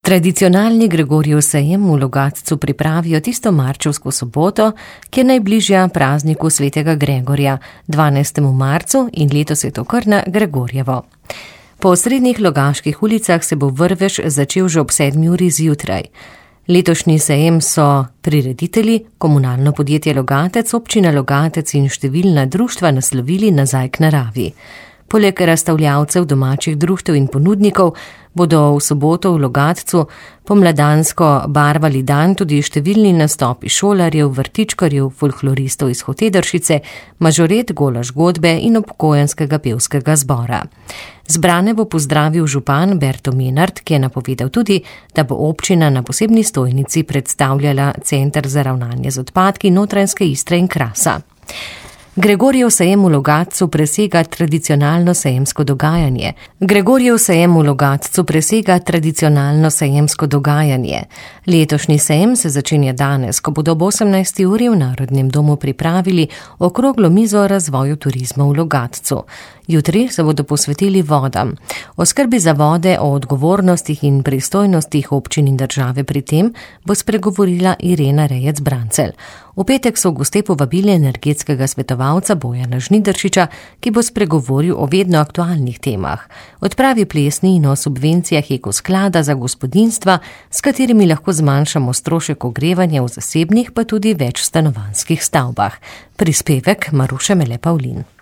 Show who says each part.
Speaker 1: Tradicionalni Gregorjev sejem v Logatcu pripravijo tisto marčevsko soboto, ki je najbližja prazniku svetega Gregorja, 12. marcu, in letos je to kar na Gregorjevo. Po osrednjih logaških ulicah se bo vrvež začel že ob 7. uri zjutraj. Letošnji sejem so prireditelji, komunalno podjetje Logatec, občina Logatec in številna društva naslovili Nazaj k naravi. Poleg razstavljavcev, domačih društev in ponudnikov bodo v soboto v Logatcu pomladansko barvali dan tudi številni nastopi šolarjev, vrtičkarjev, folkloristov iz Hotedršice, mažoret, golaž godbe in upokojenskega pevskega zbora. Zbrane bo pozdravil župan Berto Menard, ki je napovedal tudi, da bo občina na posebni stojnici predstavljala Center za ravnanje z odpadki Notranjske Istre in Krasa. Gregorjev sejem v Logatcu presega tradicionalno sejemsko dogajanje. Letošnji sejem se začenja danes, ko bodo ob 18. uri v Narodnem domu pripravili okroglo mizo o razvoju turizma v Logatcu. Jutri se bodo posvetili vodam. O skrbi za vode, o odgovornostih in pristojnostih občin in države pri tem bo spregovorila Irena Rejec-Brancelj. V petek so goste povabili energetskega svetovalca Bojana Žnidaršiča, ki bo spregovoril o vedno aktualnih temah. Odpravi plesni in o subvencijah Ekosklada za gospodinjstva, s katerimi lahko zmanjšamo strošek ogrevanja v zasebnih pa tudi večstanovanjskih stavbah. Prispevek Maruše Mele Pavlin.